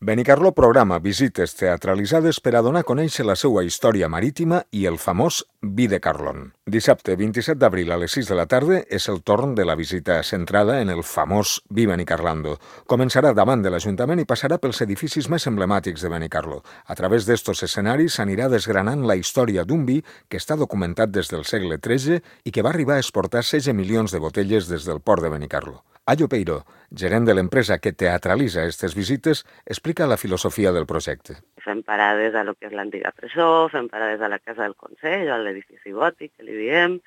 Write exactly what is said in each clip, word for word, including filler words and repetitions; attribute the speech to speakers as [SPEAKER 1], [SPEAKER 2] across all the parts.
[SPEAKER 1] Benicarló programa visites teatralitzades per a donar a conèixer la seva història marítima i el famós Vi de Carlon. Dissabte vint-i-set d'abril a les sis de la tarda és el torn de la visita centrada en el famós Vi Benicarlando. Començarà davant de l'Ajuntament i passarà pels edificis més emblemàtics de Benicarló. A través d'estos escenaris s'anirà desgranant la història d'un vi que està documentat des del segle tretze i que va arribar a exportar setze milions de botelles des del port de Benicarló. Ayo Peiró, gerent de l'empresa que teatralitza aquestes visites, explica la filosofia del projecte.
[SPEAKER 2] Fem parades a lo que és l'antiga presó, fem parades a la Casa del Consell, a l'edifici gòtic, que li diem,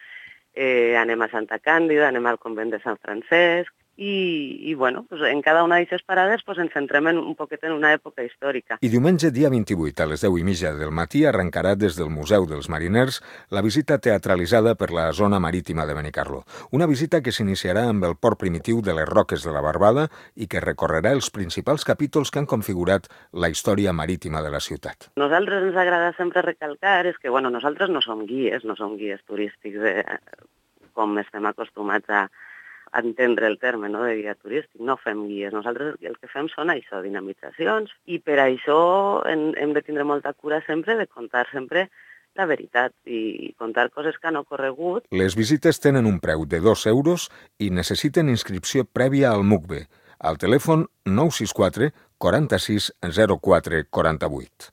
[SPEAKER 2] eh, anem a Santa Càndida, anem al convent de Sant Francesc, i, i bueno, pues en cada una d'aquestes parades pues ens centrem en, un poquet en una època històrica.
[SPEAKER 1] I diumenge, dia vint-i-vuit, a les deu i mitja del matí, arrencarà des del Museu dels Mariners la visita teatralitzada per la zona marítima de Benicarló. Una visita que s'iniciarà amb el port primitiu de les Roques de la Barbada i que recorrerà els principals capítols que han configurat la història marítima de la ciutat.
[SPEAKER 2] Nosaltres ens agrada sempre recalcar és que bueno, nosaltres no som guies, no som guies turístics de, com estem acostumats a entendre el terme, no, de guia turístic, no fem guies. Nosaltres el que fem són això, dinamitzacions, i per això hem, hem de tindre molta cura sempre de contar sempre la veritat i contar coses que han ocorregut.
[SPEAKER 1] Les visites tenen un preu de dos euros i necessiten inscripció prèvia al M U C B, al telèfon nou sis quatre quaranta-sis zero quatre quaranta-vuit.